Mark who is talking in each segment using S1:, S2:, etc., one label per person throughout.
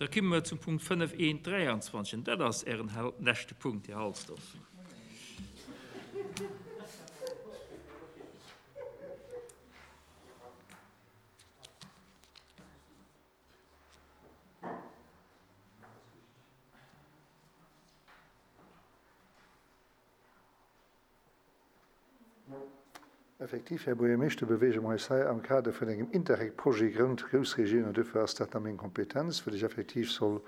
S1: Da komme mer zum Punkt 5.1.23, an dat ass Ären leschte Punkt, Här Halsdorf.
S2: Effektiv, Här Buergermeeschter, beweege mer eis hei am Kader vun engem Interreg-Projet Grond Groussregioun an duerfir ass dat a meng Kompetenz, well ech effektiv soll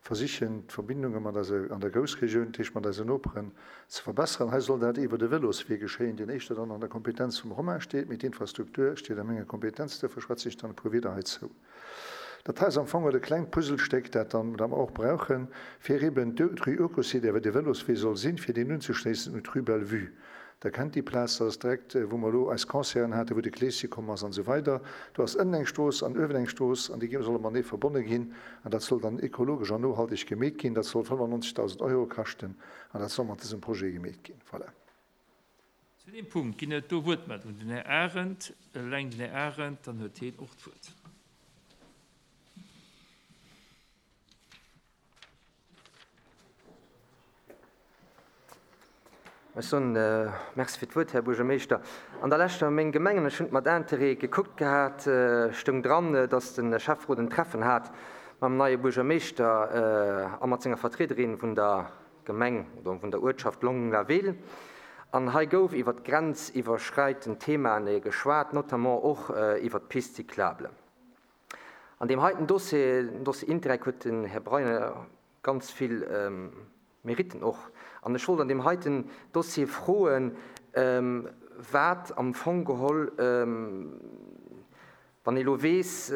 S2: versichen, d'Verbindunge mat eiser an der Groussregioun, dat heescht mat eisen Noperen, ze verbessern. Hei soll dat iwwert e Vëloswee geschéien, deen éischter dann an der Kompetenz vum Romain steet, mee d'Infrastruktur steet a menger Kompetenz, duerfir schwätze ech dann e puer Wieder heizou. Dat hei ass am Fong e klengt Puzzlestéck, dat dann, dat mer och brauchen, fir eben d'Rue Urcossi, där de Vëloswee soll sinn, fir deen unzeschléissen un d'Rue Bellevue. Der kennt déi Plaz, dat ass direkt, wou mer elo eis Concerten haten, wou de Kleeschen komm ass an esou weider. Do ass ënnen eng Strooss an uewen eng Strooss an déi solle matenee verbonne ginn an dat soll dann ekologesch an nohalteg gemeet ginn. Dat soll 95.000 Euro kaschten an dat soll mat dësem Projet gemeet ginn. Voilà.
S1: Zu deem Punkt ginn et do Wuertmeldungen. Den Här Arendt, eleng den Här Arendt, dann huet hien och d'Wuert.
S3: Ech soen Merci fir d'Wuert, Här Buergermeeschter. An der leschter Meng Gemengen, ech hunn et mat Interêt gekuckt gehat, stoung dran, datt de Schäfferot en Treffen hat mam neie Buergermeeschter a mat senger Vertriederin vun der Gemeng oder vun der Uertschaft Longlaville. An hei gouf iwwert grenziwwerschreitend Themae geschwat, notamment och iwwert d'Piste cyclable. An deem heiten Dossier, den Dossier Interreg, huet den Här Breyer ganz vill Meritten och. An ech wollt an deem heiten Dossier froen, wat am Fong geholl, wann ee elo weess,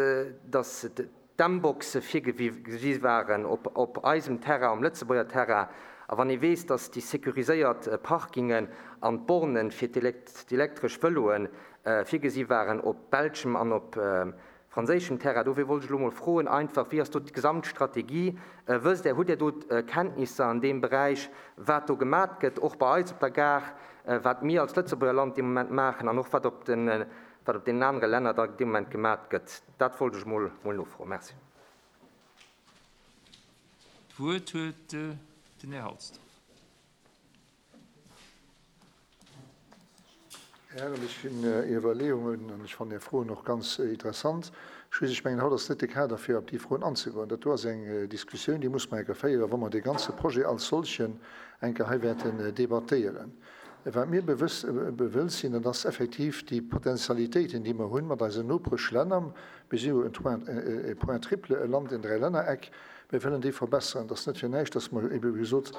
S3: datt d'M-Boxe virgesi waren op eisem Terrain, um Lëtzebuerger Terrain, a wann ee weess, datt déi sécuriséiert Parkingen an d'Borne fir d'elektresch Vëloe virgesi waren op belschem an op franséischem Terrain. Dofir wollt ech elo mol froen einfach, Wéi ass do d'Gesamtstrategie? Wësst Der, hutt Der do Kenntnisser an deem Beräich, wat do gemat gëtt, och bei eis op der Gare, wat mir als Lëtzebuerger Land dee Moment maachen an och wat op de, wat op deenen anere Länner da dee Moment gemat gëtt? Dat wollt ech mol nofroen. Merci.
S1: D'Wuert huet den Här Halsdorf.
S2: Här Arendt, ech finn Är Iwwerleeungen an ech fannen Är Froen och ganz interessant. Just, ech mengen, haut ass net de Kader, fir op déi Froen anzegoen. Dat do ass eng Diskussioun, déi muss mer eng Kéier féieren, wa mer dee ganze Projet als solchen eng Kéier hei wäerten debattéieren. Wat mir bewëllt sinn, dat ass effektiv déi Potentialitéiten, déi mer hunn mat eisen Nopeschlänner. Mir si jo en Point triple, e Land, en Dräilännereck. Mir wëllen déi verbesseren. Et ass net fir näischt, dass mer ebe wéi gesot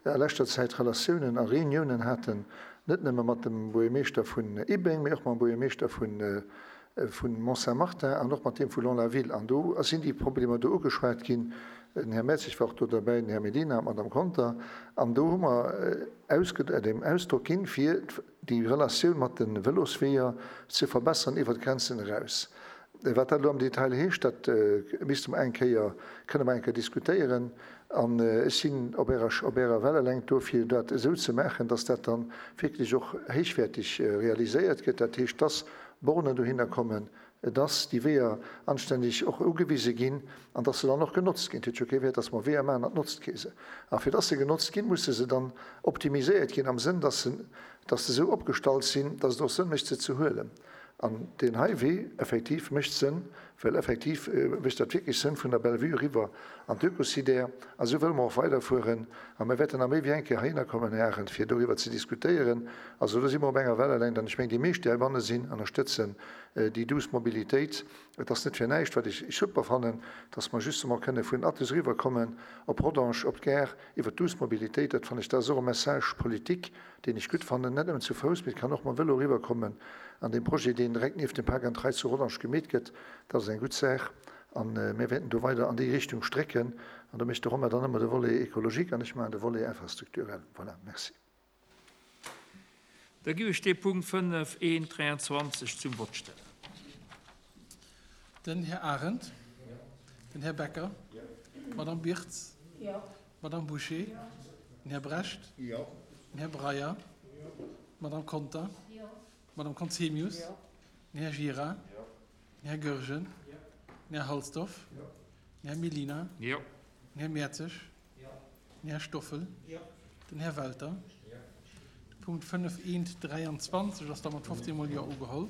S2: a leschter Zäit Relatiounen a Reuniounen haten, net nëmme mat dem Buergermeeschter vun Ibeng, mee och mam Buergermeeschter vu Mont-Saint-Martin an och mat deem vu Longlaville. An do sinn déi Problemer do ugeschwat ginn. Den Här Mertzig war och do derbäi, den Här Medina an d'Madame Conter. An do hu mer dem Ausdrock ginn, fir déi Relatioun mat de Vëlosweeër ze verbessern iwwert d'Grenzen eraus. Wat dat elo am Detail heescht, dat misste mer eng Kéier, kënne mer eng Kéier diskutéieren. An ech sinn op Ärer, op Ärer Wellelängt do, fir dat esou ze maachen, dass dat dann wierklech och héichwäertig realiséiert gëtt. Dat heescht, dass Bornen dohinner kommen, dass déi Weeër anstänneg och ugewise ginn an dass se dann och genotzt ginn. Et huet jo kee Wäert, dass mer Weeër maachen an et notzt kee se. A fir dass se genotzt ginn, musse se dann optimiséiert ginn am Sënn, dass se, dass se esou opgestallt sinn, dass et och Sënn mécht, se ze huelen. An deen hei Wee effektiv mécht Sënn, well effektiv mécht dat wierklech Sënn vun der Bellevue eriwwer an d'Oekosidär. A sou wëlle mer och weiderfueren. A mir wäerten nach méi wéi eng Kéier heihinner kommen, Här Arendt, fir doriwwer ze diskutéieren. Also do si mer op enger Wellelengt. An ech mengen, déi meescht, déi heibanne sinn, ënnerstëtzen déi douce Mobilitéit. Et ass net fir näischt, wat ech super fannen, dass mer justement kënne vun Athus eriwwerkommen op Rodange, op d'Gare, iwwer d'douce Mobilitéit. Dat fannen ech, dat ass och e Message politique, deen ech gutt fannen, net nëmmen zu Fouss, mee et kann och mam Vëlo eriwwerkommen an deem Projet, deen direkt nieft dem Park and Ride zu Rodange gemeet gëtt. Dat ass eng gutt Saach a mir wäerten do weider an déi Richtung strécken. An do mécht de Romain dann ëmmer de Volet écologique an ech maachen de Volet infrastructurel. Voilà, merci.
S1: Da giff ech dee Punkt 5, 1, 23 zum Vott stellen.
S4: Den Här Arendt. Den Här Becker. D'Madame Birtz. D'Madame Bouché. Den Här Brecht. Den Här Breyer. D'Madame Conter. D'Madame Conzemius. Den Här Gira. Den Här Goergen. Den Här Halsdorf. Den Här Mellina.
S1: Jo.
S4: Den Här Mertzig. Den Här Stoffel. Den Här Welter. De Punkt 5 eent 23 ass da mat 15 mol Jo ugeholl.